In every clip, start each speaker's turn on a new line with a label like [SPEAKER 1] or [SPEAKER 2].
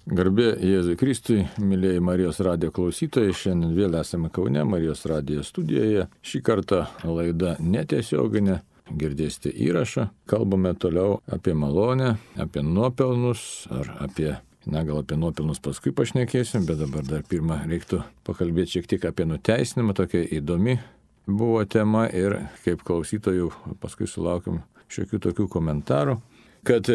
[SPEAKER 1] Garbė Jėzui Kristui, mėlyjei Marijos radijo klausytojai, šiandien vėl esame Kaune, Marijos radijo studijoje. Šį kartą laida netiesioginė, girdėsite įrašą. Kalbame toliau apie malonę, apie nuopelnus, gal apie nuopelnus paskui pašnekėsim, bet dabar dar pirmą reiktų pakalbėti šiek tiek apie nuteisinimą, tokia įdomi buvo tema ir kaip klausytojų paskui sulaukiam šiokių tokių komentarų. Kad,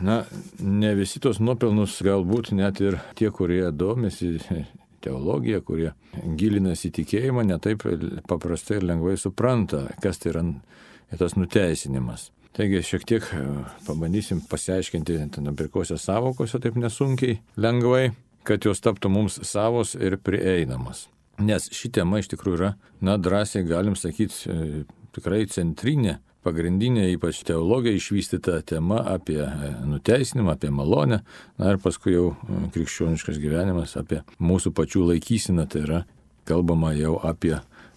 [SPEAKER 1] ne visi tos nuopelnus galbūt net ir tie, kurie domisi teologija, kurie gilinasi į tikėjimą, netaip paprastai ir lengvai supranta, kas tai yra tas nuteisinimas. Taigi šiek tiek pabandysim pasiaiškinti pirkosios savokose taip nesunkiai, lengvai, kad jos taptų mums savos ir prieinamos. Nes ši tema iš tikrųjų yra, drąsiai galim sakyti, tikrai centrinė, pagrindinė, ypač teologija išvystyta tema apie nuteisinimą, apie malonę, ir paskui jau krikščioniškas gyvenimas, apie mūsų pačių laikyseną, tai yra kalbama jau apie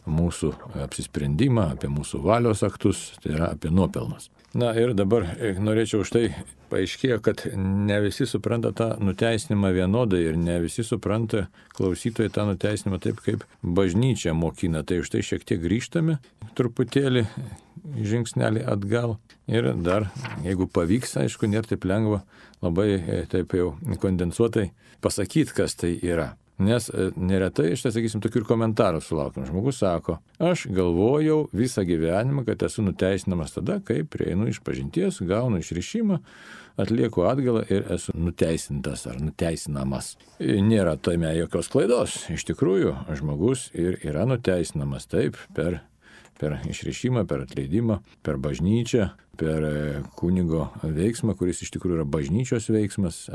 [SPEAKER 1] mūsų apsisprendimą, apie mūsų valios aktus, tai yra apie nuopelnus. Ir dabar norėčiau štai paaiškėjo, kad ne visi supranta tą nuteisinimą vienodai ir ne visi supranta klausytojai tą nuteisinimą taip, kaip bažnyčia mokina. Tai štai šiek tiek grįžtame truputėlį žingsnelį atgal ir dar, jeigu pavyks, aišku, nėra taip lengva labai taip jau kondensuotai pasakyti, kas tai yra. Nes neretai, sakysim, tokių ir komentarų sulaukiam. Žmogus sako, aš galvojau visą gyvenimą, kad esu nuteisinamas tada, kai prieinu iš pažinties, gaunu išrišimą, atlieku atgalą ir esu nuteisintas ar nuteisinamas. Nėra tame jokios klaidos. Iš tikrųjų, žmogus ir yra nuteisinamas taip per išrišimą, per atleidimą, per bažnyčią, per kunigo veiksmą, kuris iš tikrųjų yra bažnyčios veiksmas.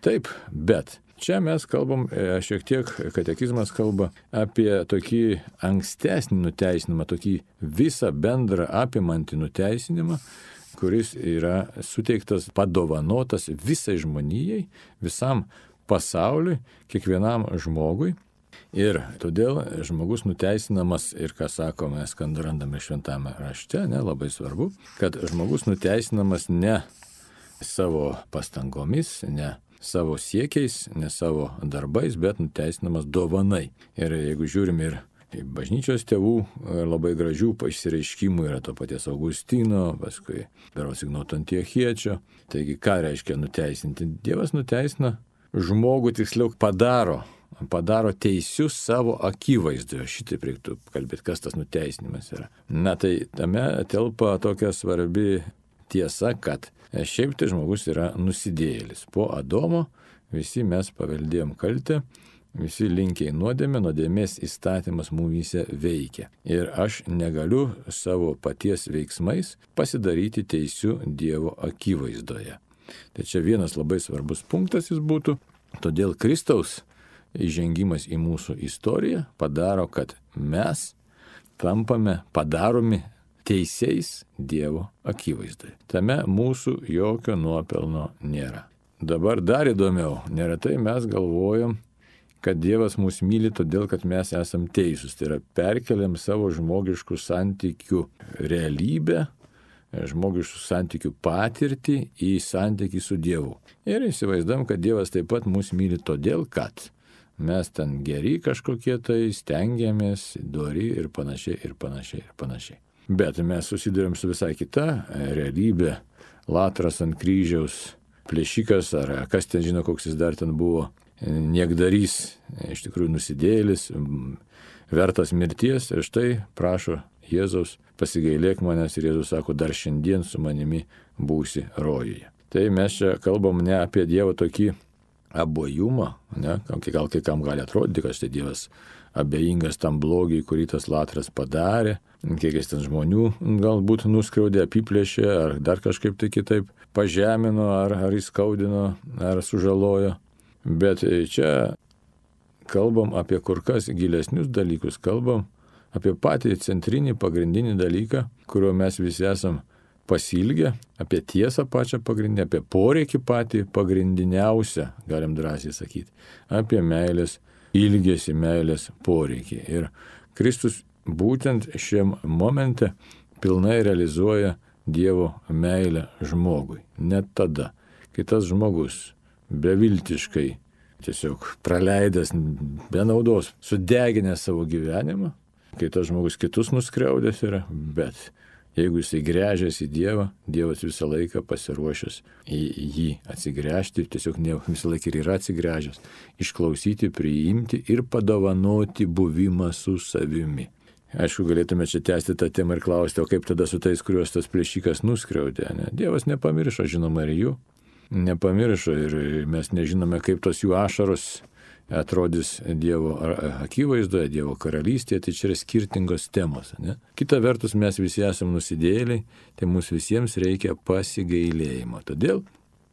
[SPEAKER 1] Taip, bet čia mes kalbam, šiek tiek katekizmas kalba apie tokį ankstesnį nuteisinimą, tokį visą bendrą apimantį nuteisinimą, kuris yra suteiktas, padovanotas visai žmonijai, visam pasauliui, kiekvienam žmogui. Ir todėl žmogus nuteisinamas, ir ką sako, mes randame šventame rašte, labai svarbu, kad žmogus nuteisinamas ne savo pastangomis, ne savo siekiais, ne savo darbais, bet nuteisinamas dovanai. Ir jeigu žiūrim ir bažnyčios tėvų labai gražių išsireiškimų yra to paties Augustino, paskui berods Ignoto Antiochiečio. Taigi ką reiškia nuteisinti? Dievas nuteisina žmogų, tiksliau padaro teisius savo akivaizdoje. Šitaip reiktų kalbėti, kas tas nuteisinimas yra. Tai tame telpa tokia svarbi tiesa, kad šiaip tai žmogus yra nusidėjėlis. Po Adomo visi mes paveldėjom kaltę, visi linkiai nuodėmės įstatymas mumyse veikia. Ir aš negaliu savo paties veiksmais pasidaryti teisiu Dievo akivaizdoje. Tai čia vienas labai svarbus punktas jis būtų. Todėl Kristaus įžengimas į mūsų istoriją padaro, kad mes padaromi teisiais Dievo akivaizdoje. Tame mūsų jokio nuopelno nėra. Dabar dar įdomiau, neretai mes galvojam, kad Dievas mus myli todėl, kad mes esam teisūs. Tai yra perkeliam savo žmogiškų santykių realybę, žmogiškų santykių patirtį į santykį su Dievu. Ir įsivaizduojam, kad Dievas taip pat mus myli todėl, kad mes ten geri kažkokie tai, stengiamės, dori ir panašiai. Bet mes susidurėm su visai kita realybė. Latras ant kryžiaus, plėšikas, ar kas ten žino, koks jis dar ten buvo, niekdarys, iš tikrųjų nusidėjėlis, vertas mirties, ir štai prašo Jėzaus, pasigailėk manęs, ir Jėzus sako, dar šiandien su manimi būsi rojuje. Tai mes čia kalbam ne apie Dievą tokį abojumą, gal kai kam gali atrodyti, kad štai Dievas abejingas tam blogiai, kurį tas Latras padarė, kiek jis ten žmonių galbūt nuskriaudė, apiplėšė, ar dar kažkaip tai kitaip pažemino, ar įskaudino, ar sužalojo. Bet čia kalbam apie kur kas gilesnius dalykus, kalbam apie patį centrinį, pagrindinį dalyką, kurio mes visi esam pasilgę, apie tiesą pačią pagrindinę, apie poreikį patį pagrindiniausią, galim drąsiai sakyti, apie meilės ilgesį, meilės poreikį. Ir Kristus būtent šiam momente pilnai realizuoja Dievo meilę žmogui. Net tada, kai tas žmogus beviltiškai, tiesiog praleidęs be naudos, sudeginęs savo gyvenimą, kai tas žmogus kitus nuskriaudęs yra, bet jeigu jisai gręžiasi į Dievą, Dievas visą laiką pasiruošęs į jį atsigręžti, tiesiog visą laiką ir yra atsigręžęs, išklausyti, priimti ir padovanoti buvimą su savimi. Aišku, galėtume čia tęsti tą temą ir klausti, o kaip tada su tais, kuriuos tas plėšikas nuskriaudė. Ne? Dievas nepamiršo, žinoma, ir jų. Nepamiršo ir mes nežinome, kaip tos jų ašaros atrodys Dievo akivaizdoje, Dievo karalystėje, tai čia yra skirtingos temos. Ne? Kita vertus, mes visi esame nusidėjėliai, tai mums visiems reikia pasigailėjimo. Todėl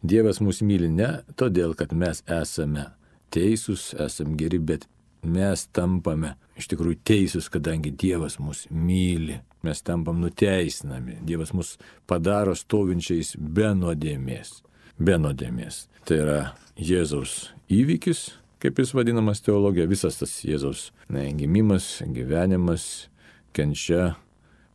[SPEAKER 1] Dievas mus myli ne todėl, kad mes esame teisūs, esame geri, bet mes tampame iš tikrųjų teisūs, kadangi Dievas mus myli. Mes tampam nuteisinami. Dievas mus padaro stovinčiais be nuodėmės. Be nuodėmės. Tai yra Jėzaus įvykis, kaip jis vadinamas teologija, visas tas Jėzaus gimimas, gyvenimas, kenčia,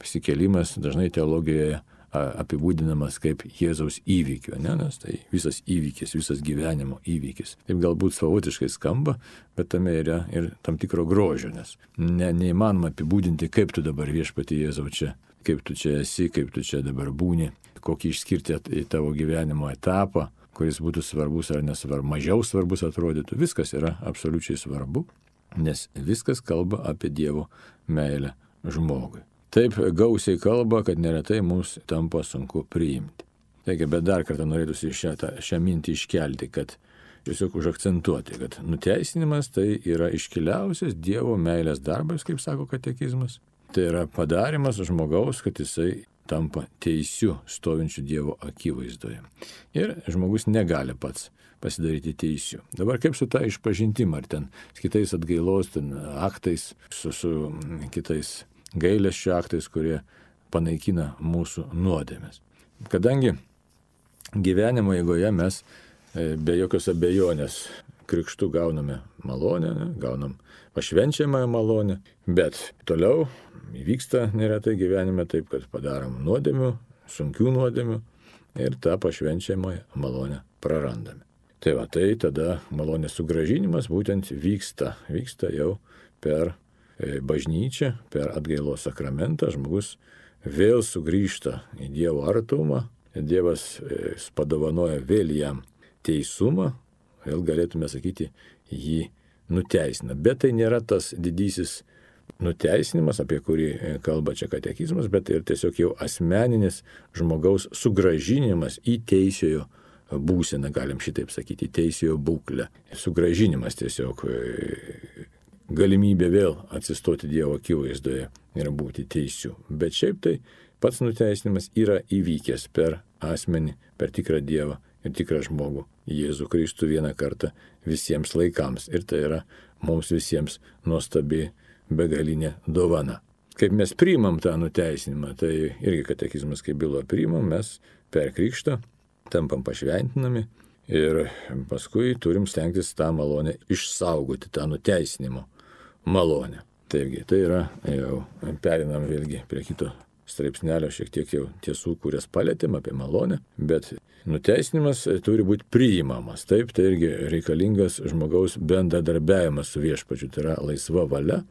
[SPEAKER 1] pasikėlimas, dažnai teologijoje apibūdinamas kaip Jėzaus įvykio, ne? Nes tai visas įvykis, visas gyvenimo įvykis. Taip galbūt savotiškai skamba, bet tame yra ir tam tikro grožio, nes neįmanoma apibūdinti, kaip tu dabar Viešpatie Jėzau čia, kaip tu čia esi, kaip tu čia dabar būni, kokį išskirti į tavo gyvenimo etapą, kuris būtų svarbus ar nesvarbu, mažiau svarbus atrodytų. Viskas yra absoliučiai svarbu, nes viskas kalba apie Dievo meilę žmogui. Taip gausiai kalba, kad neretai mums tampa sunku priimti. Taigi, bet dar kartą norėtųsi šią mintį iškelti, kad tiesiog užakcentuoti, kad nuteisinimas tai yra iškiliausias Dievo meilės darbas, kaip sako katekizmas. Tai yra padarimas žmogaus, kad jisai tampa teisiu stovinčiu Dievo akivaizdoje. Ir žmogus negali pats pasidaryti teisiu. Dabar kaip su ta išpažintim, ar ten kitais atgailos aktais, su kitais gailesčio aktais, kurie panaikina mūsų nuodėmes. Kadangi gyvenimo eigoje mes be jokios abejonės krikštu gauname malonę, gaunam pašvenčiamąją malonę, bet toliau įvyksta neretai gyvenime taip, kad padarom nuodėmių, sunkių nuodėmių ir tą pašvenčiamąją malonę prarandame. Tai va, tai tada malonės sugrąžinimas būtent vyksta jau per bažnyčią, per atgailos sakramentą, žmogus vėl sugrįžta į Dievo artumą, Dievas padovanoja vėl jam teisumą, vėl galėtume sakyti, jį nuteisina. Bet tai nėra tas didysis nuteisinimas, apie kurį kalba čia katekizmas, bet ir tiesiog jau asmeninis žmogaus sugrąžinimas į teisiojo būseną, galim šitaip sakyti, į teisiojo būklę. Sugrąžinimas tiesiog galimybė vėl atsistoti Dievo akivaizdoje ir būti teisiu. Bet šiaip tai pats nuteisinimas yra įvykęs per asmenį, per tikrą Dievą ir tikrą žmogų, Jėzų Kristų vieną kartą visiems laikams. Ir tai yra mums visiems nuostabi begalinė dovana. Kaip mes priimam tą nuteisinimą, tai irgi katekizmas kaip byloja, priimam mes per krikštą, tampam pašventinami ir paskui turim stengtis tą malonę išsaugoti, tą nuteisinimo malonę. Taigi, tai yra, jau perinam vėlgi prie kito straipsnelio, šiek tiek jau tiesų, kurias palėtėm apie malonę, bet nuteisinimas turi būti priimamas. Taip, tai irgi reikalingas žmogaus bendradarbiavimas su Viešpačiu, tai yra laisva valia,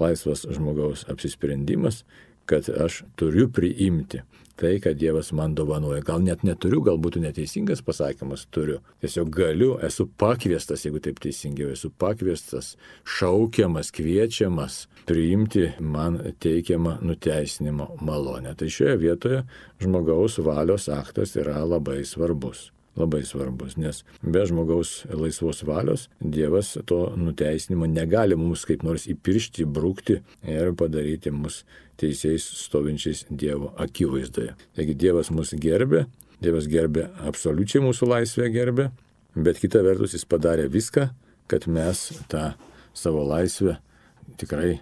[SPEAKER 1] laisvas žmogaus apsisprendimas, kad aš turiu priimti tai, kad Dievas man dovanoja. Gal net neturiu, gal būtų neteisingas pasakymas, turiu. Tiesiog galiu, esu pakviestas, jeigu taip teisingiau, esu pakviestas, šaukiamas, kviečiamas priimti man teikiamą nuteisinimo malonę. Tai šioje vietoje žmogaus valios aktas yra labai svarbus. Labai svarbus, nes be žmogaus laisvos valios Dievas to nuteisinimo negali mums kaip nors įpiršti, įbrukti ir padaryti mus teisėjais stovinčiais Dievo akivaizdoje. Taigi Dievas mus gerbė, Dievas gerbė absoliučiai mūsų laisvę gerbė, bet kita vertus jis padarė viską, kad mes tą savo laisvę tikrai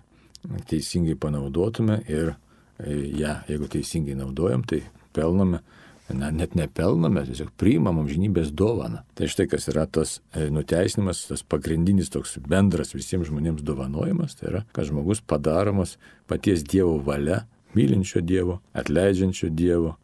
[SPEAKER 1] teisingai panaudotume ir ją, jeigu teisingai naudojam, tai pelnome. Net nepelname, tiesiog priimam amžinybės dovaną. Tai štai kas yra tas nuteisinimas, tas pagrindinis toks bendras visiems žmonėms dovanojimas, tai yra, kad žmogus padaromas paties Dievo valia, mylinčio Dievo, atleidžiančio Dievo,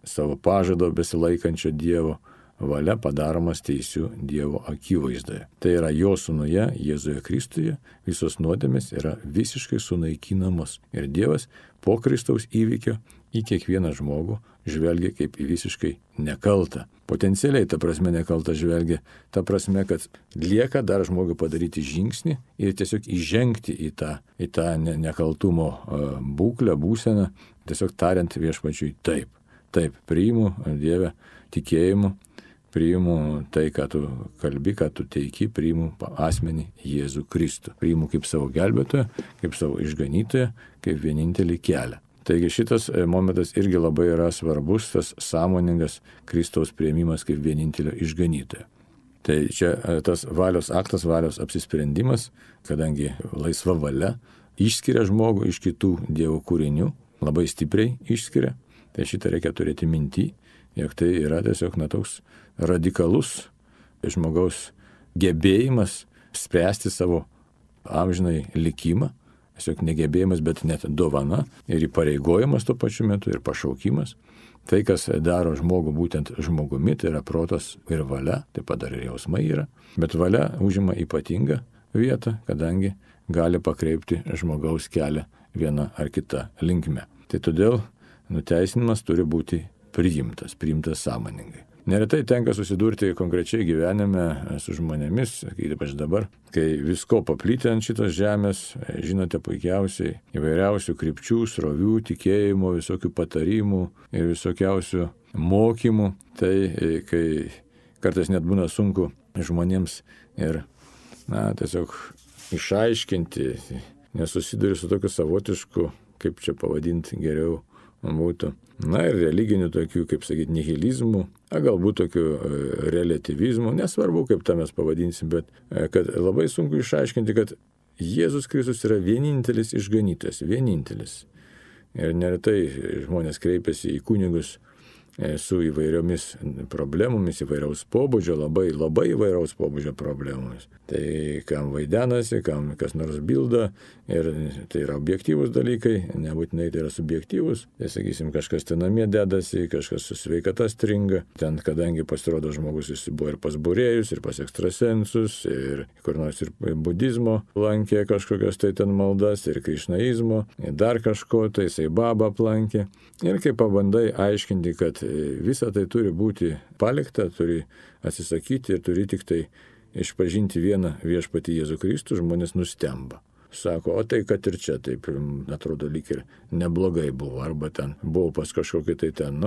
[SPEAKER 1] savo pažado besilaikančio Dievo valia padaromas teisiu Dievo akivaizdoje. Tai yra jo sūnuje, Jėzuje Kristuje, visos nuodėmės yra visiškai sunaikinamos. Ir Dievas po Kristaus įvykio į kiekvieną žmogų žvelgia kaip į visiškai nekaltą. Potencialiai, ta prasme, nekaltą žvelgia, ta prasme, kad lieka dar žmogui padaryti žingsnį ir tiesiog įžengti į tą nekaltumo būklę, būseną, tiesiog tariant viešpačiui taip. Taip, priimu Dievę tikėjimu, priimu tai, ką tu kalbi, ką tu teiki, priimu asmenį Jėzų Kristų. Priimu kaip savo gelbėtoją, kaip savo išganytoją, kaip vienintelį kelią. Taigi šitas momentas irgi labai yra svarbus, tas sąmoningas Kristaus priėmimas kaip vienintelio išganytojo. Tai čia tas valios aktas, valios apsisprendimas, kadangi laisva valia išskiria žmogų iš kitų Dievo kūrinių, labai stipriai išskiria, tai šitą reikia turėti minty, jog tai yra tiesiog toks radikalus žmogaus gebėjimas spręsti savo amžinai likimą, tiesiog negebėjimas, bet net dovana ir įpareigojimas tuo pačiu metu ir pašaukimas. Tai, kas daro žmogų būtent žmogumi, tai yra protas ir valia, taip pat dar ir jausmai yra, bet valia užima ypatingą vietą, kadangi gali pakreipti žmogaus kelią vieną ar kitą linkme. Tai todėl nuteisinimas turi būti priimtas sąmoningai. Neretai tenka susidurti konkrečiai gyvenime su žmonėmis, ypač dabar, kai visko paplitę ant šitos žemės, žinote puikiausiai, įvairiausių krypčių, srovių, tikėjimų, visokių patarimų ir visokiausių mokymų, tai kai kartais net būna sunku žmonėms ir tiesiog išaiškinti, nesusiduri su tokiu savotišku, kaip čia pavadinti geriau būtų, ir religinių tokių, kaip sakyti, nihilizmų, galbūt tokių relativizmų, nesvarbu, kaip tą mes pavadinsim, bet kad labai sunku išaiškinti, kad Jėzus Kristus yra vienintelis išganytojas, vienintelis. Ir neretai žmonės kreipiasi į kunigus su įvairiomis problemomis, įvairiaus pobūdžio, labai įvairaus pobūdžio problemomis. Tai kam vaidenasi, kam kas nors bilda, ir tai yra objektyvūs dalykai, nebūtinai tai yra subjektyvūs. Tai sakysim, kažkas ten namie dedasi, kažkas su sveikata stringa. Ten, kadangi pasirodo žmogus jis buvo ir pas būrėjus, ir pas ekstrasensus, ir kur nors ir budizmo lankė kažkokias tai ten maldas, ir krišnaizmo, ir dar kažko, tai jisai babą aplankė. Ir kai pabandai aiškinti, kad visa tai turi būti palikta, turi atsisakyti ir turi tik tai išpažinti vieną viešpatį Jėzų Kristų, žmonės nustemba. Sako, o tai kad ir čia taip, atrodo, lyg ir neblogai buvo, arba ten buvo pas kažkokį tai ten,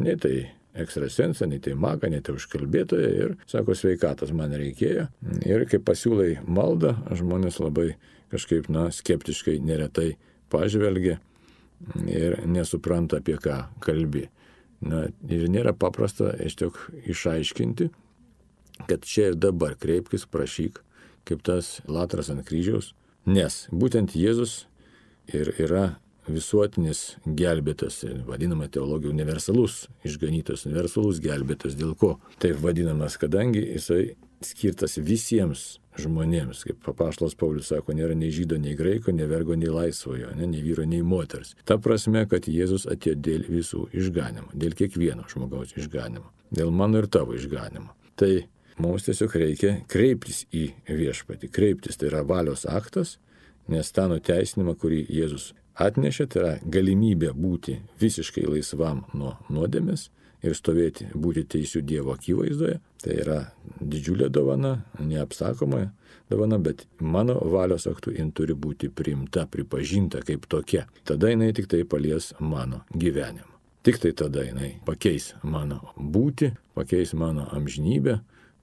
[SPEAKER 1] nei tai ekstrasensą, nei tai magą, nei tai užkalbėtoją, ir sako, sveikatos man reikėjo. Ir kai pasiūlai maldą, žmonės labai kažkaip, skeptiškai neretai pažvelgia ir nesupranta, apie ką kalbi. Ir nėra paprasta išaiškinti, kad čia ir dabar kreipkis, prašyk, kaip tas Latras ant kryžiaus, nes būtent Jėzus ir yra visuotinis gelbėtas, vadinama teologija universalus išganytas, universalus gelbėtas. Dėl ko taip vadinamas? Kadangi jisai skirtas visiems žmonėms, kaip apaštalas Paulius sako, nėra nei žydo, nei graiko, nei vergo, nei laisvojo, nei vyro, nei moters. Ta prasme, kad Jėzus atėjo dėl visų išganimo, dėl kiekvieno žmogaus išganimo, dėl mano ir tavo išganimo. Tai mums tiesiog reikia kreiptis į viešpatį. Kreiptis tai yra valios aktas, nes tą nuteisinimą, kurį Jėzus atnešė, tai yra galimybė būti visiškai laisvam nuo nuodėmės ir stovėti, būti teisių Dievo akivaizdoje. Tai yra didžiulė dovana, neapsakoma dovana, bet mano valios aktu jin turi būti priimta, pripažinta kaip tokia. Tada jinai tik tai palies mano gyvenimą. Tik tai tada jinai pakeis mano būtį, pakeis mano amžinybę,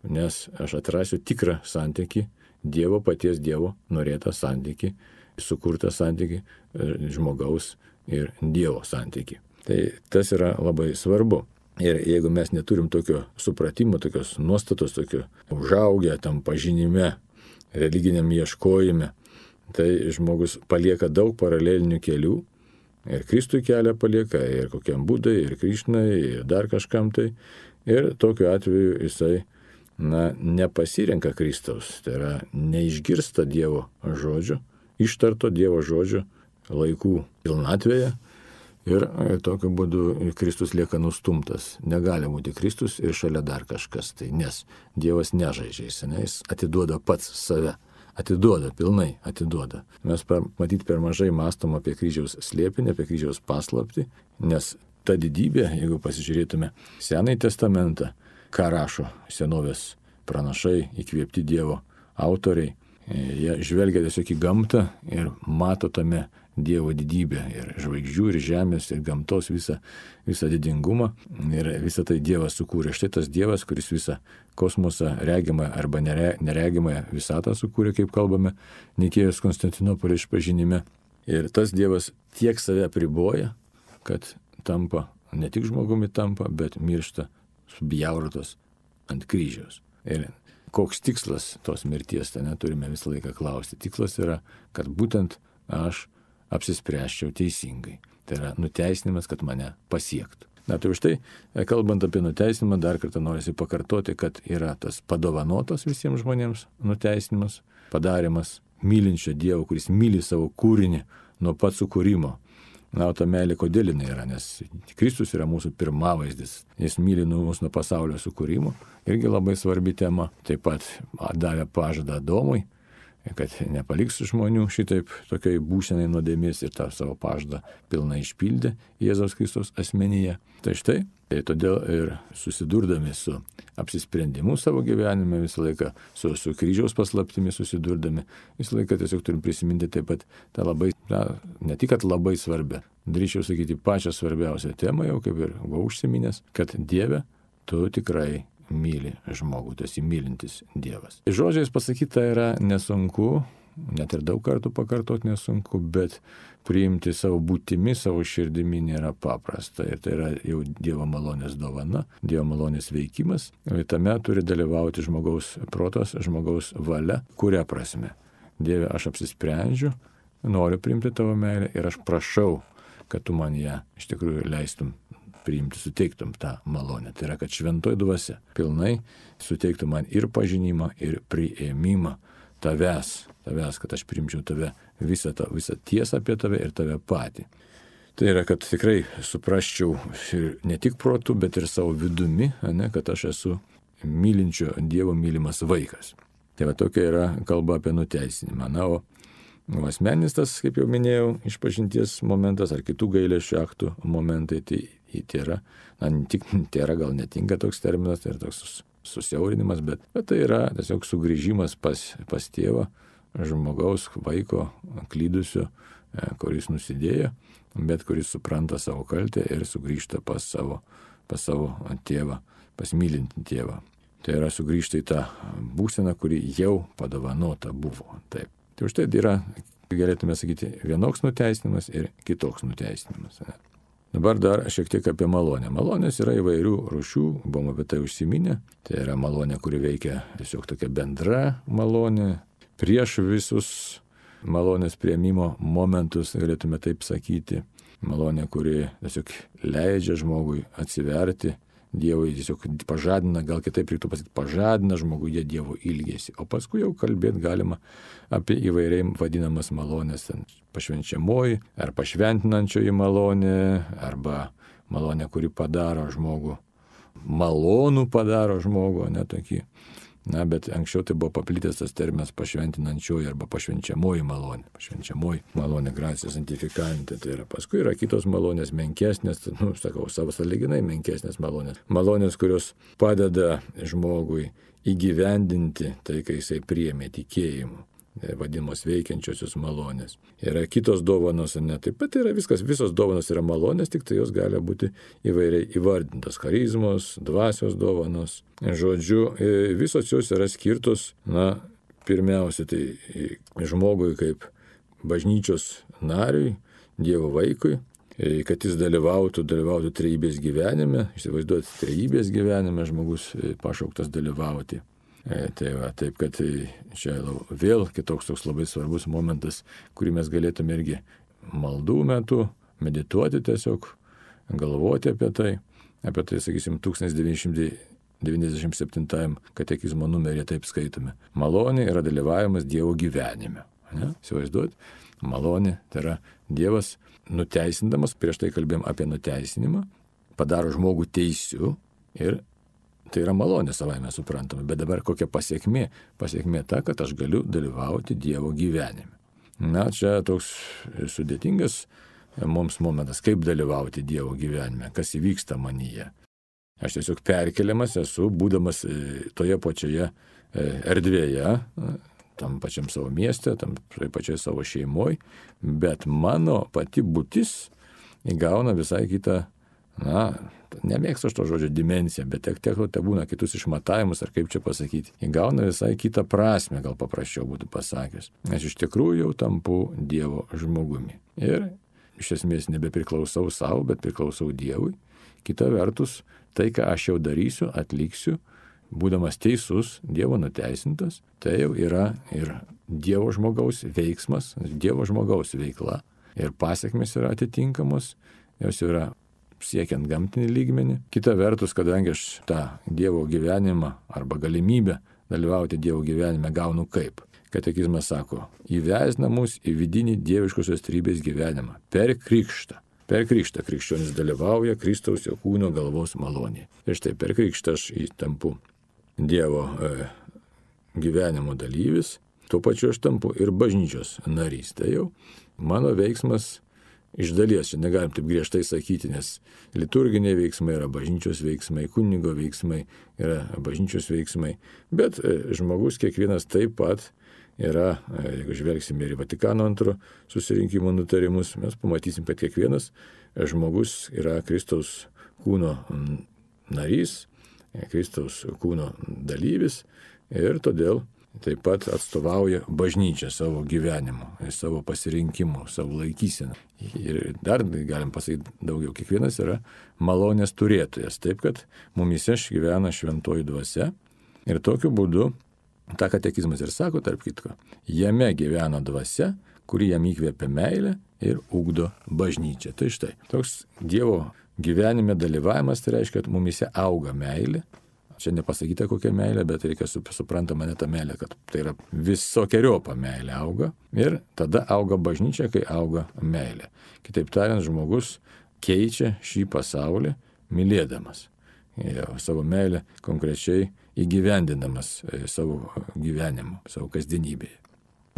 [SPEAKER 1] nes aš atrasiu tikrą santykį, Dievo paties Dievo norėtą santykį, sukurtą santykį, žmogaus ir Dievo santykį. Tai tas yra labai svarbu. Ir jeigu mes neturim tokio supratimo, tokios nuostatos, tokio užaugę tam pažinime, religiniam ieškojime, tai žmogus palieka daug paralelinių kelių. Ir Kristui kelią palieka, ir kokiam Budai, ir Krišnai, ir dar kažkam tai. Ir tokiu atveju jisai nepasirenka Kristaus, tai yra neišgirsta Dievo žodžio, ištarto Dievo žodžio laikų pilnatvėje Ir tokiu būdu Kristus lieka nustumtas. Negali būti Kristus ir šalia dar kažkas. Tai nes Dievas nežaidžia, jis atiduoda pats save. Atiduoda, pilnai atiduoda. Mes matyt per mažai mąstom apie kryžiaus slėpinį, apie kryžiaus paslaptį, nes ta didybė, jeigu pasižiūrėtume Senąjį testamentą, ką rašo senovės pranašai, įkvėpti Dievo autoriai, jie žvelgia tiesiog į gamtą ir mato tame Dievo didybę ir žvaigždžių, ir žemės, ir gamtos visą didingumą. Ir visą tai Dievas sukūrė. Štai tas Dievas, kuris visą kosmosą, regimą arba neregimąją visatą sukūrė, kaip kalbame Nikėjos Konstantinopolio išpažinime. Ir tas Dievas tiek save apriboja, kad tampa, ne tik žmogumi tampa, bet miršta subjaurotas ant kryžiaus. Ir koks tikslas tos mirties, tai neturime visą laiką klausti. Tikslas yra, kad būtent aš apsispręsčiau teisingai. Tai yra nuteisinimas, kad mane pasiektų. Na tai už tai, kalbant apie nuteisinimą, dar kartą norisi pakartoti, kad yra tas padovanotas visiems žmonėms nuteisinimas, padarimas mylinčio Dievo, kuris myli savo kūrinį nuo pat sukūrimo. Na, o ta meilė kodėl jinai yra, nes Kristus yra mūsų pirmavaizdis. Jis myli mus nuo pasaulio sukūrimo. Irgi labai svarbi tema. Taip pat davė pažadą Adomui, kad nepaliks žmonių šitaip tokiai būsenai nuodėmės ir tą savo pažadą pilnai išpildė Jėzaus Kristaus asmenyje. Tai štai, tai todėl ir susidurdami su apsisprendimu savo gyvenime visą laiką, su kryžiaus paslaptimi susidurdami, visą laiką tiesiog turim prisiminti taip pat tą labai, ne tik kad labai svarbę, drįčiau sakyti pačią svarbiausią temą, jau kaip ir buvau užsiminęs, kad Dieve, tu tikrai myli žmogų, tu esi mylintis Dievas. Žodžiais pasakyta yra nesunku, net ir daug kartų pakartoti nesunku, bet priimti savo būtimi, savo širdimi nėra paprasta. Ir tai yra jau Dievo malonės dovana, Dievo malonės veikimas. Ir tame turi dalyvauti žmogaus protas, žmogaus valia. Kuria prasme? Dieve, aš apsisprendžiu, noriu priimti tavo meilę ir aš prašau, kad tu man ją iš tikrųjų leistum priimti, suteiktum tą malonę. Tai yra, kad šventoji dvasia pilnai suteiktų man ir pažinimą, ir priėmimą tavęs, kad aš priimčiau tave, visą tiesą apie tave ir tave patį. Tai yra, kad tikrai suprasčiau ir ne tik protu, bet ir savo vidumi, kad aš esu mylinčio Dievo mylimas vaikas. Tai va tokia yra kalba apie nuteisinimą. Na, o asmeninis tas, kaip jau minėjau, išpažinties momentas ar kitų gailesčio aktų momentai, tai yra, tėra gal netinka toks terminas, tai yra toks susiaurinimas, bet tai yra tiesiog sugrįžimas pas tėvą, žmogaus, vaiko, klydusio, kuris nusidėjo, bet kuris supranta savo kaltę ir sugrįžta pas savo tėvą, pas mylintį tėvą. Tai yra sugrįžta į tą būseną, kuri jau padovanota buvo. Taip. Tai už tai yra, galėtume sakyti, vienoks nuteisinimas ir kitoks nuteisinimas. Dabar dar šiek tiek apie malonę. Malonės yra įvairių rūšių, buvom apie tai užsiminę. Tai yra malonė, kuri veikia tiesiog tokia bendra malonė. Prieš visus malonės priėmimo momentus, galėtume taip sakyti. Malonė, kuri tiesiog leidžia žmogui atsiverti Dievui, tiesiog pažadina, gal kitaip reiktų pasakyti, pažadina žmoguje Dievo ilgesį. O paskui jau kalbėti galima apie įvairiai vadinamas malonės, pašvenčiamoji ar pašventinančioji malonė, arba malonė, kuri padaro žmogų, malonų padaro žmogų, netokį. Na, bet anksčiau tai buvo paplitęs tas terminas pašventinančioji arba pašvenčiamoji malonė. Pašvenčiamoji malonė, gracija santifikantė. Tai yra, paskui yra kitos malonės menkesnės, savo sąlyginai menkesnės malonės. Malonės, kurios padeda žmogui įgyvendinti tai, kai jisai priėmė tikėjimu. Vadinamos veikiančiosios malonės. Yra kitos dovanos, taip pat yra viskas, visos dovanos yra malonės, tik tai jos gali būti įvairiai įvardintos. Charizmos, dvasios dovanos. Žodžiu, visos jos yra skirtos, pirmiausia, tai žmogui kaip bažnyčios nariui, Dievo vaikui, kad jis dalyvautų trejybės gyvenime, įsivaizduoti trejybės gyvenime, žmogus pašauktas dalyvauti. Tai va, taip, kad čia vėl kitoks toks labai svarbus momentas, kurį mes galėtume irgi maldų metu medituoti tiesiog, galvoti apie tai, sakysim, 1997 katekizmo numeryje taip skaitome. Malonė yra dalyvavimas Dievo gyvenime. Ne? Įsivaizduot, malonė, tai yra Dievas nuteisindamas, prieš tai kalbėjom apie nuteisinimą, padaro žmogų teisiu ir tai yra malonė savaime suprantama. Bet dabar kokia pasiekmė? Pasiekmė ta, kad aš galiu dalyvauti Dievo gyvenime. Na, čia toks sudėtingas mums momentas, kaip dalyvauti Dievo gyvenime, kas įvyksta manyje. Aš tiesiog perkeliamas esu, būdamas toje pačioje erdvėje, tam pačiam savo mieste, tam pačioje savo šeimoje, bet mano pati būtis įgauna visai kitą, nemėgstu aš to žodžio dimensiją, bet tiek būna kitus išmatavimus, ar kaip čia pasakyti, įgauna visai kitą prasme, gal paprasčiau būtų pasakęs. Aš iš tikrųjų jau tampu Dievo žmogumi. Ir iš esmės nebepriklausau savo, bet priklausau Dievui. Kita vertus, tai, ką aš jau darysiu, atliksiu, būdamas teisus, Dievo nuteisintas, tai jau yra ir Dievo žmogaus veiksmas, Dievo žmogaus veikla. Ir pasiekmes yra atitinkamos, jos yra siekiant gamtinį lygmenį. Kita vertus, kadangi aš tą Dievo gyvenimą arba galimybę dalyvauti Dievo gyvenime gaunu kaip? Katekizmas sako, įvesina mus į vidinį dieviškosios trybės gyvenimą per krikštą. Per krikštą krikščionis dalyvauja Kristaus jo kūno galvos malonėje. Ir štai per krikštą aš tampu Dievo gyvenimo dalyvis, tuo pačiu aš tampu ir bažnyčios narys. Tai jau mano veiksmas iš dalies, čia negalim taip griežtai sakyti, nes liturginiai veiksmai yra bažnyčios veiksmai, kunigo veiksmai yra bažnyčios veiksmai, bet žmogus kiekvienas taip pat yra, jeigu žvelgsime ir į Vatikano II susirinkimo nutarimus, mes pamatysim, kad kiekvienas žmogus yra Kristaus kūno narys, Kristaus kūno dalyvis ir todėl taip pat atstovauja bažnyčią savo gyvenimu, savo pasirinkimu, savo laikyseną. Ir dar galim pasakyti daugiau, kiekvienas yra malonės turėtojas, taip kad mumyse gyvena šventoji dvasia ir tokiu būdu, tą katekizmas ir sako, tarp kitko, jame gyvena dvasia, kuri jam įkvėpia meilę ir ugdo bažnyčią. Tai štai, toks Dievo gyvenime dalyvavimas, tai reiškia, kad mumyse auga meilė. Čia nepasakyta kokia meilė, bet reikia suprantama ne ta meilė, kad tai yra visokeriopą meilė auga. Ir tada auga bažnyčia, kai auga meilė. Kitaip tariant, žmogus keičia šį pasaulį mylėdamas. Savo meilę konkrečiai įgyvendinamas savo gyvenimu, savo kasdienybėje.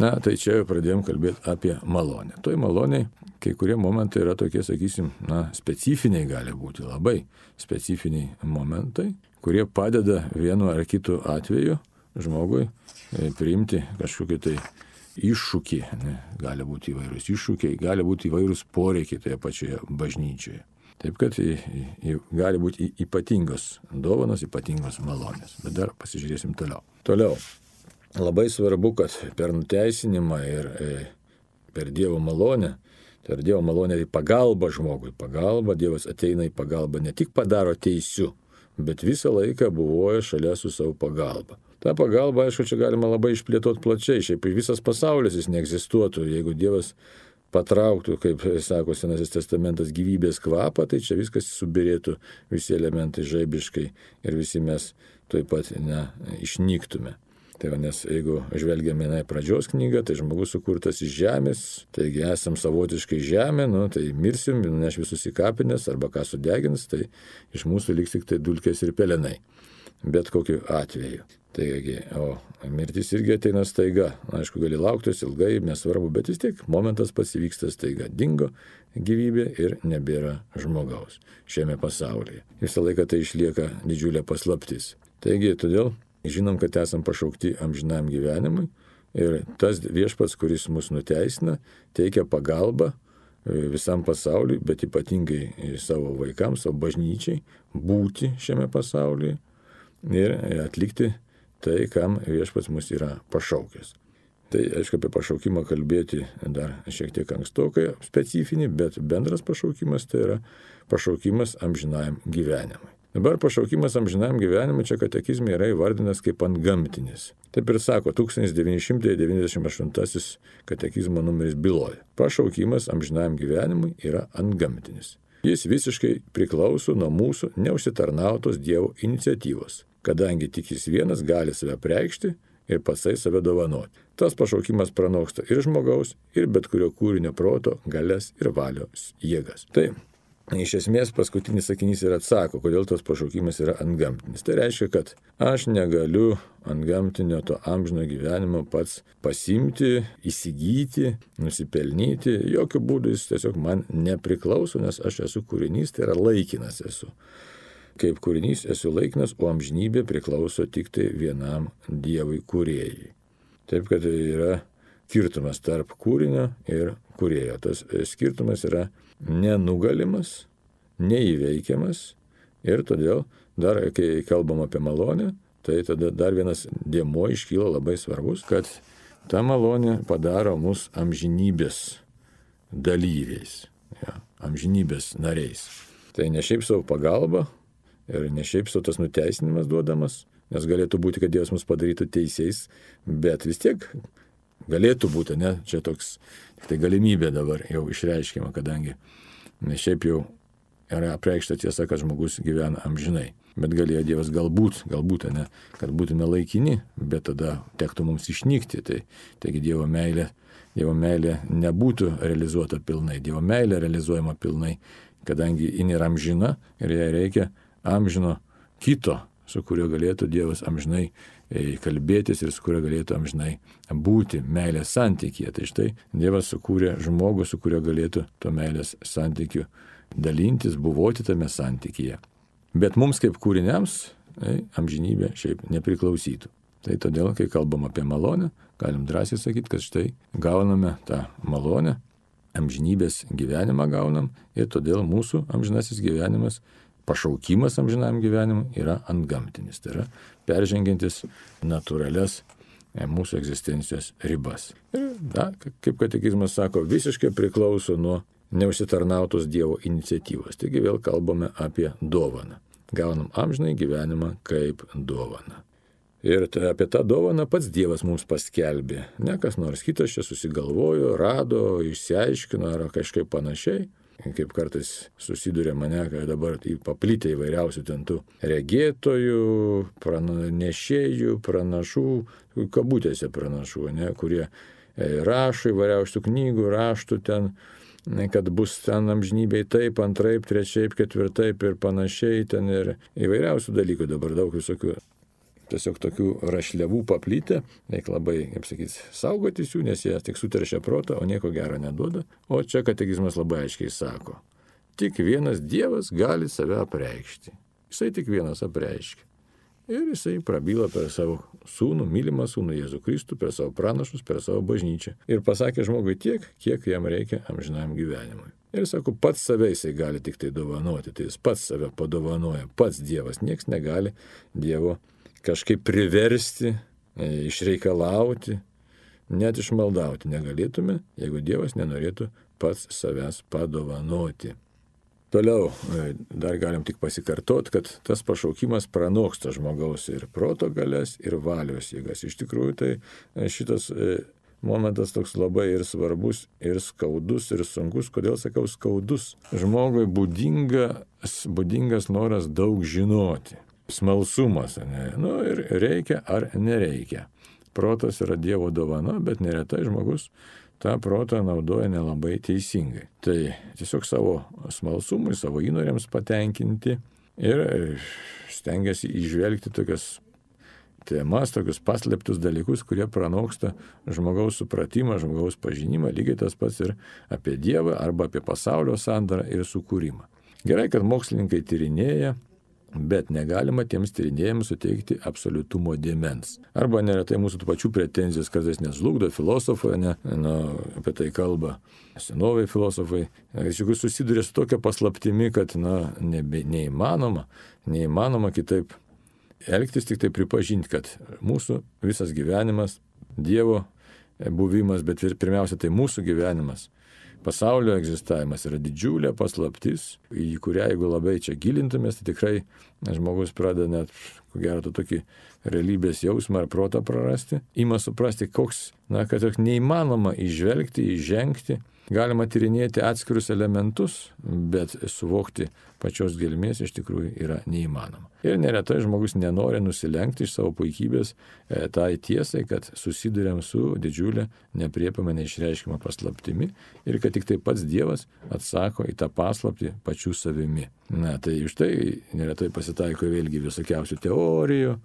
[SPEAKER 1] Na, tai čia jau pradėjom kalbėti apie malonę. Toj maloniai kai kurie momentai yra tokie, sakysim, specifiniai gali būti, labai specifiniai momentai, kurie padeda vienu ar kitu atveju žmogui priimti kažkokį tai iššūkį. Gali būti įvairūs iššūkiai, gali būti įvairūs poreikiai toje pačioje bažnyčioje. Taip kad gali būti ypatingos dovanos, ypatingos malonės. Bet dar pasižiūrėsim toliau. Toliau. Labai svarbu, kad per nuteisinimą ir per Dievo malonę, tai yra Dievo malonė į pagalbą žmogui. Pagalba, Dievas ateina į pagalbą, ne tik padaro teisiu, bet visą laiką buvoja šalia su savo pagalba. Ta pagalba, aišku, čia galima labai išplėtoti plačiai. Šiaip visas pasaulis jis neegzistuotų, jeigu Dievas patrauktų, kaip sako Senasis testamentas, gyvybės kvapą, tai čia viskas subirėtų, visi elementai žaibiškai ir visi mes taip pat išnyktume. Tai va, nes jeigu žvelgiame į pradžios knygą, tai žmogus sukurtas iš žemės, taigi esam savotiškai žemė, tai mirsim, neš visus į kapines arba ką sudegins, tai iš mūsų liks tik tai dulkės ir pelenai. Bet kokiu atveju. Taigi, o mirtis irgi ateina staiga. Aišku, gali lauktis ilgai, nesvarbu, bet vis tiek momentas pats įvyksta staiga. Dingo gyvybė ir nebėra žmogaus šiame pasaulyje. Visą laiką tai išlieka didžiulė paslaptis. Taigi, todėl žinom, kad esam pašaukti amžinam gyvenimui ir tas viešpats, kuris mus nuteisina, teikia pagalbą visam pasauliui, bet ypatingai savo vaikams, savo bažnyčiai, būti šiame pasaulyje ir atlikti tai, kam viešpats mus yra pašaukęs. Tai, aišku, apie pašaukimą kalbėti dar šiek tiek ankstokai specifinį, bet bendras pašaukimas tai yra pašaukimas amžinajam gyvenimui. Dabar pašaukimas amžinajam gyvenimui čia katekizme yra įvardinas kaip antgamtinis. Taip ir sako 1998 katekizmo numeris byloja. Pašaukimas amžinajam gyvenimui yra antgamtinis. Jis visiškai priklauso nuo mūsų neužsitarnautos Dievo iniciatyvos, kadangi tik jis vienas gali save preikšti ir patsai save dovanoti. Tas pašaukimas pranoksta ir žmogaus, ir bet kurio kūrinio proto, galias ir valios jėgas. Tai iš esmės paskutinis sakinys ir atsako, kodėl tas pašaukimas yra antgamtinis. Tai reiškia, kad aš negaliu antgamtinio to amžino gyvenimo pats pasimti, įsigyti, nusipelnyti. Jokių būdų jis tiesiog man nepriklauso, nes aš esu kūrinys, tai yra laikinas esu. Kaip kūrinys esu laikinas, o amžinybė priklauso tik tai vienam Dievui kūrėjai. Taip, kad yra skirtumas tarp kūrinio ir kūrėjo. Tas skirtumas yra nenugalimas, neįveikiamas ir todėl dar, kai kalbam apie malonę, tai tada dar vienas dėmuo iškyla labai svarbus, kad ta malonė padaro mus amžinybės dalyviais, amžinybės nariais. Tai ne šiaip savo pagalba ir ne šiaip savo tas nuteisinimas duodamas, nes galėtų būti, kad Dievas mus padarytų teisiais, bet vis tiek galėtų būti, ne, čia toks tai galimybė dabar jau išreiškiama, kadangi ne šiaip jau yra apreikšta tiesa, kad žmogus gyvena amžinai. Bet galėjo Dievas galbūt, ne, kad būtume laikini, bet tada tektų mums išnykti. Taigi Dievo meilė nebūtų realizuota pilnai. Dievo meilė realizuojama pilnai, kadangi ji yra amžina ir jai reikia amžino kito, su kuriuo galėtų Dievas amžinai kalbėtis ir su kuriuo galėtų amžinai būti meilės santykyje. Tai štai Dievas sukūrė žmogų, su kuriuo galėtų to meilės santykiu dalintis, buvoti tame santykyje. Bet mums kaip kūriniams amžinybė šiaip nepriklausytų. Tai todėl, kai kalbam apie malonę, galim drąsiai sakyti, kad štai gauname tą malonę, amžinybės gyvenimą gaunam ir todėl mūsų amžinasis gyvenimas, pašaukimas amžinam gyvenimui yra antgamtinis. Tai yra peržengiantis natūralias mūsų egzistencijos ribas. Ir kaip katekizmas sako, visiškai priklauso nuo neužsitarnautos Dievo iniciatyvos. Taigi vėl kalbame apie dovaną. Gaunam amžinai gyvenimą kaip dovaną. Ir apie tą dovaną pats Dievas mums paskelbė. Ne kas nors kitas čia susigalvojo, rado, išsiaiškino ar kažkaip panašiai. Kaip kartais susiduria mane, kad dabar paplitę įvairiausių tentų regėtojų, pranešėjų, pranašų, kabutėse pranašų, ne, kurie rašo įvairiausių knygų, raštų ten, kad bus ten amžinybėj taip, antraip, trečiaip, ketvirtaip ir panašiai, ten ir įvairiausių dalykų dabar daug visokių. Tiesiog tokių rašliavų paplitę, reikia labai, kaip sakyti, saugotis jų, nes jie tik suteršia protą, o nieko gero neduoda. O čia katekizmas labai aiškiai sako, tik vienas Dievas gali save apreikšti. Jisai tik vienas apreiškia. Ir jisai prabyla per savo sūnų, mylimą sūnų Jėzų Kristų, per savo pranašus, per savo bažnyčią. Ir pasakė žmogui tiek, kiek jam reikia amžinam gyvenimui. Ir sako, pats save jisai gali tik tai dovanoti, tai jis pats save padovanoja, pats Dievas, nieks negali Dievo kažkaip priversti, išreikalauti, net išmaldauti negalėtume, jeigu Dievas nenorėtų pats savęs padovanoti. Toliau dar galim tik pasikartoti, kad tas pašaukimas pranoksta žmogaus ir proto galias, ir valios jėgas. Iš tikrųjų, tai šitas momentas toks labai ir svarbus, ir skaudus, ir sunkus. Kodėl sakau skaudus? Žmogui būdingas noras daug žinoti. Smalsumas, ne? Ir reikia ar nereikia. Protas yra Dievo dovana, bet neretai žmogus tą protą naudoja nelabai teisingai. Tai tiesiog savo smalsumui, savo įnoriams patenkinti ir stengiasi įžvelgti tokias temas, tokius paslėptus dalykus, kurie pranoksta žmogaus supratimą, žmogaus pažinimą, lygiai tas pats ir apie Dievą arba apie pasaulio sandarą ir sukūrimą. Gerai, kad mokslininkai tyrinėja, bet negalima tiems tyrinėjams suteikti absoliutumo dėmens. Arba neretai mūsų tų pačių pretenzijas kartais neslugdo filosofai, apie tai kalba senoviai filosofai. Iš tikrųjų susiduria su tokia paslaptimi, kad neįmanoma kitaip elgtis, tik tai pripažinti, kad mūsų visas gyvenimas, Dievo buvimas, bet ir pirmiausia tai mūsų gyvenimas, pasaulio egzistavimas yra didžiulė paslaptis, į kurią jeigu labai čia gilintumės, tai tikrai žmogus pradeda net, ko gero, tokį realybės jausmą ar protą prarasti. Ima suprasti, kad neįmanoma įžvelgti, įžengti Galima tyrinėti atskirus elementus, bet suvokti pačios gelmės iš tikrųjų yra neįmanoma. Ir neretai žmogus nenori nusilenkti iš savo puikybės tai tiesai, kad susiduriam su didžiulė nepriepiama neišreiškima paslaptimi ir kad tik tai pats Dievas atsako į tą paslaptį pačių savimi. Na, tai už tai neretai pasitaiko vėlgi visokiausių teorijų,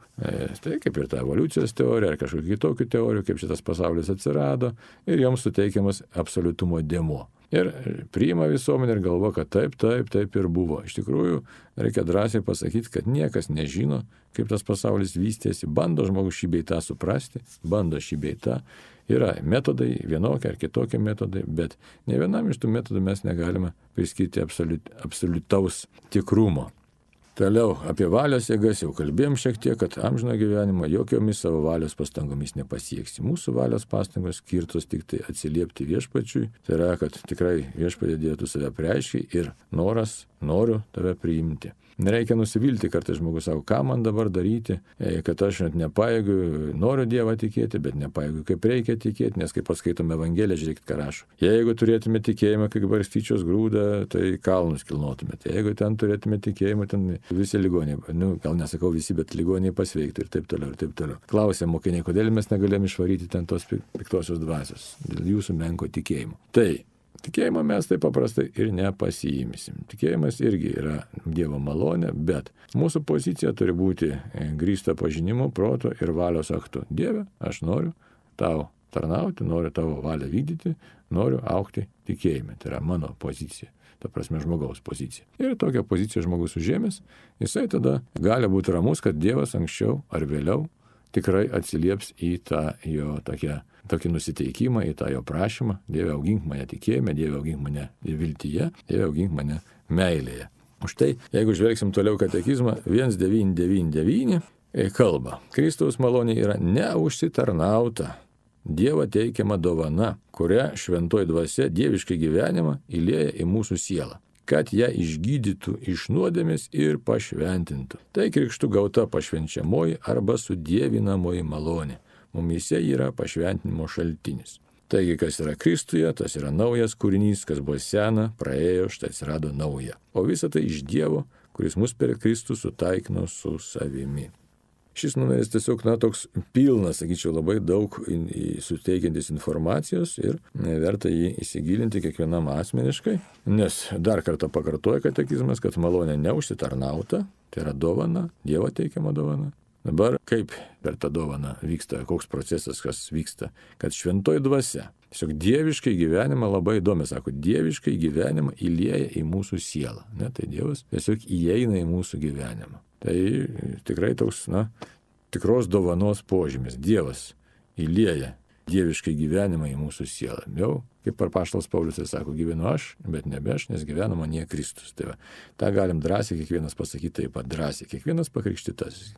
[SPEAKER 1] tai kaip ir ta evoliucijos teorija ar kažkokių kitokių teorijų, kaip šitas pasaulis atsirado ir joms suteikiamas absoliutumo dėmuo. Ir priima visuomenė ir galvo, kad taip ir buvo. Iš tikrųjų, reikia drąsiai pasakyti, kad niekas nežino, kaip tas pasaulis vystėsi. Bando žmogus šį bei tą suprasti, bando šį bei tą. Yra metodai, vienokie ar kitokie metodai, bet ne vienam iš tų metodų mes negalime priskirti absoliutaus tikrumo. Toliau apie valios jėgas jau kalbėjom šiek tiek, kad amžino gyvenimo jokiomis savo valios pastangomis nepasieksi. Mūsų valios pastangos skirtos tik tai atsiliepti viešpačiui. Tai yra, kad tikrai viešpatie Dieve tu save apreiški ir noriu tave priimti. Nereikia nusivilti, kartais žmogus sako, ką man dabar daryti, kad aš net nepajėgiu, noriu Dievą tikėti, bet nepajėgiu, kaip reikia tikėti, nes kaip paskaitome Evangeliją, žiūrėkit, ką rašo. Jeigu turėtume tikėjimą, kaip barstyčios grūdą, tai kalnus kilnotumėte. Jeigu ten turėtume tikėjimą, ten visi ligoniai, gal nesakau visi, bet ligoniai pasveiktų ir taip toliau, ir taip toliau. Klausė mokiniai, kodėl mes negalėjom išvaryti ten tos piktosios dvasios, dėl jūsų menko tikėjimo. Tai tikėjimo mes taip paprastai ir nepasiimsim. Tikėjimas irgi yra Dievo malonė, bet mūsų pozicija turi būti grįsta pažinimu, proto ir valios aktu. Dieve, aš noriu tau tarnauti, noriu tavo valią vykdyti, noriu augti tikėjime. Tai yra mano pozicija. Ta prasme, žmogaus pozicija. Ir tokią poziciją žmogus užėmęs, jisai tada gali būti ramus, kad Dievas anksčiau ar vėliau tikrai atsilieps į tą jo tokį nusiteikimą, į tą jo prašymą. Dieve, augink mane tikėjime, Dieve, augink mane viltyje, Dieve, augink mane meilėje. Už tai, jeigu žvelgsim toliau katekizmą, 1999 kalba. Kristaus malonė yra neužsitarnauta, Dievo teikiama dovana, kurią šventoji dvasia dieviškai gyvenimą įlieja į mūsų sielą, kad ją išgydytų iš nuodėmės ir pašventintų. Tai krikštu gauta pašvenčiamoji arba sudievinamoji malonė. Mumyse yra pašventinimo šaltinis. Taigi, kas yra Kristuje, tas yra naujas kūrinys, kas buvo sena, praėjo, štai atsirado nauja. O visa tai iš Dievo, kuris mus per Kristų sutaikino su savimi. Šis numeris tiesiog, toks pilnas, sakyčiau, labai daug suteikiantis informacijos ir verta jį įsigilinti kiekvienam asmeniškai, nes dar kartą pakartoja katekizmas, kad malonė neužsitarnauta, tai yra dovana, Dievo teikiama dovana. Dabar kaip per tą dovaną vyksta, koks procesas, kas vyksta, kad šventoji dvasia, tiesiog dieviškai gyvenimą labai įdomi, sako, dieviškai gyvenimą įlieja į mūsų sielą, ne, tai Dievas tiesiog įeina į mūsų gyvenimą. Tai tikrai toks, tikros dovanos požymis. Dievas įlieja dieviškai gyvenimą į mūsų sielą. Jau, kaip apaštalas Paulius sako, gyvenu aš, bet nebe aš, nes gyvena manyje Kristus. Tai va, tą galim drąsiai kiekvienas pasakyti taip pat drąsiai. Kiekvienas pakrikštytas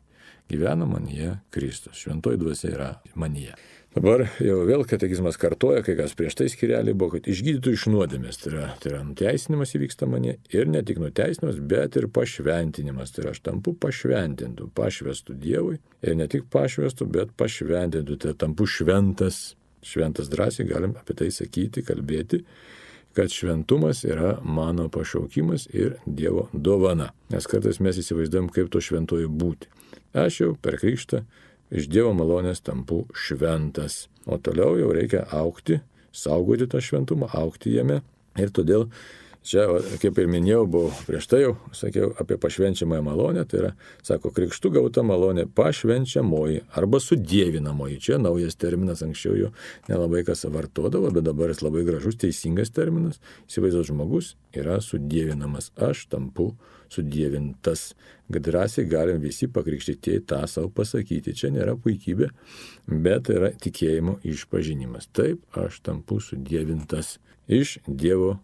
[SPEAKER 1] gyvena manyje Kristus. Šventoji dvasia yra manyje. Dabar jau vėl katekizmas kartoja, kai kas prieš tai skyrelį buvo, kad išgydytų iš nuodėmės. Tai yra nuteisinimas įvyksta manyje ir ne tik nuteisinimas, bet ir pašventinimas. Tai yra aš tampu pašventintų, pašvestų Dievui ir ne tik pašvestų, bet pašventintų. Tai tampu šventas. Šventas drąsiai galim apie tai sakyti, kalbėti, kad šventumas yra mano pašaukimas ir Dievo dovana. Nes kartais mes įsivaizduojam, kaip to šventoji būti. Aš jau per krikštą iš Dievo malonės tampu šventas. O toliau jau reikia augti, saugoti tą šventumą, augti jame. Ir todėl čia, kaip ir minėjau, buvau prieš tai jau, sakiau, apie pašvenčiamąją malonę. Tai yra, sako, krikštu gauta malonė pašvenčiamoji arba sudievinamoji. Čia naujas terminas, anksčiau jo nelabai kas vartodavo, bet dabar jis labai gražus, teisingas terminas. Įsivaizduot, žmogus yra sudievinamas. Aš tampu sudievintas. Drąsiai galim visi pakrikštytieji tą savo pasakyti. Čia nėra puikybė, bet yra tikėjimo išpažinimas. Taip, aš tampu sudievintas iš Dievo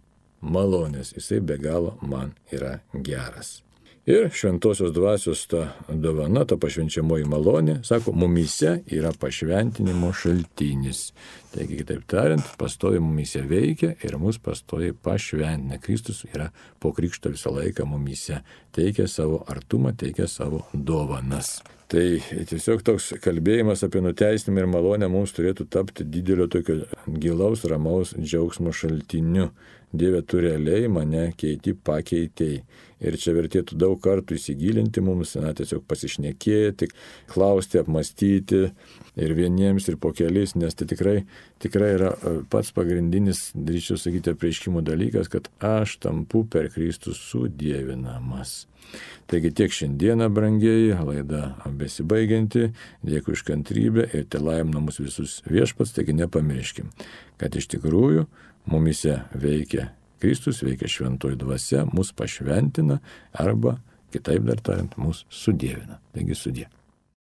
[SPEAKER 1] malonės. Jisai be galo man yra geras. Ir šventosios dvasios ta dovana, ta pašvenčiamoji malonė, sako, mumyse yra pašventinimo šaltinis. Taigi, kitaip tariant, pastoviai mumyse veikia ir mus pastoviai pašventina. Kristus yra po krikšto visą laiką mumyse. Teikia savo artumą, teikia savo dovanas. Tai tiesiog toks kalbėjimas apie nuteisinimą ir malonę mums turėtų tapti didelio tokio gilaus, ramaus džiaugsmo šaltiniu. Dieve, tu realiai mane pakeitei. Ir čia vertėtų daug kartų įsigilinti mums, tiesiog pasišnekėti, klausti, apmastyti ir vieniems, ir po kelis, nes tai tikrai yra pats pagrindinis, drįsčiau sakyti, apreiškimo dalykas, kad aš tampu per Kristų sudievinamas. Taigi tiek šiandieną, brangieji, laida besibaigianti, dėkui už kantrybę ir telaimina mus visus viešpats, taigi nepamirškim, kad iš tikrųjų mumise veikia Kristus, veikia šventoji dvasia, mus pašventina arba, kitaip dar tariant, mus sudievina. Taigi sudie.